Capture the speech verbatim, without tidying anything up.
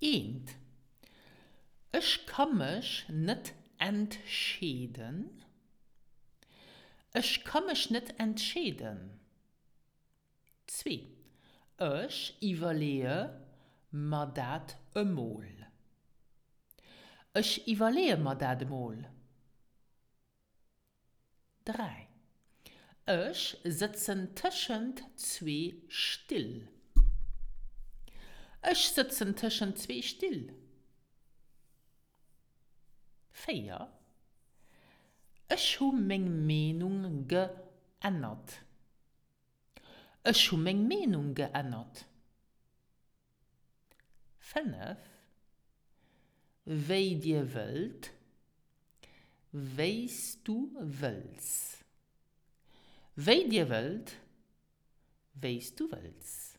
Eent, Ech ka mech net entscheeden. Ech ka mech net entscheeden. Zwee, Ech iwwerleeë mer dat emol. Ech iwwerleeë mer dat emol. Dräi, Ech sëtzen tëschent zwee Still. Ech sëtzen tëschent zwee Still. Véier, Ech hu meng Meenung geännert. Ech hu meng Meenung geännert. Fënnef, Wéi Dir wëllt, wéi s du wëlls. Wéi Dir wëllt, wéi s du wëlls.